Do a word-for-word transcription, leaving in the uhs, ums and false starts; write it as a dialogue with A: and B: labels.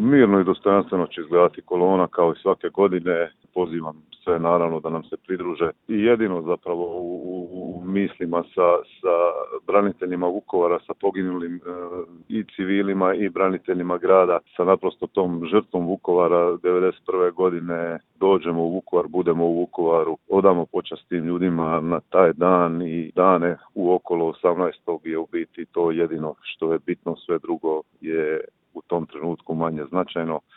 A: Mirno i dostojanstveno će izgledati kolona kao i svake godine. Pozivam sve naravno da nam se pridruže i jedino zapravo u, u, u mislima sa, sa braniteljima Vukovara, sa poginulim e, i civilima i braniteljima grada, sa naprosto tom žrtvom Vukovara devedeset prve godine dođemo u Vukovar, budemo u Vukovaru, odamo počast tim ljudima na taj dan i dane u okolo osamnaestog je u biti to jedino što je bitno, sve drugo je u tom trenutku manje značajno.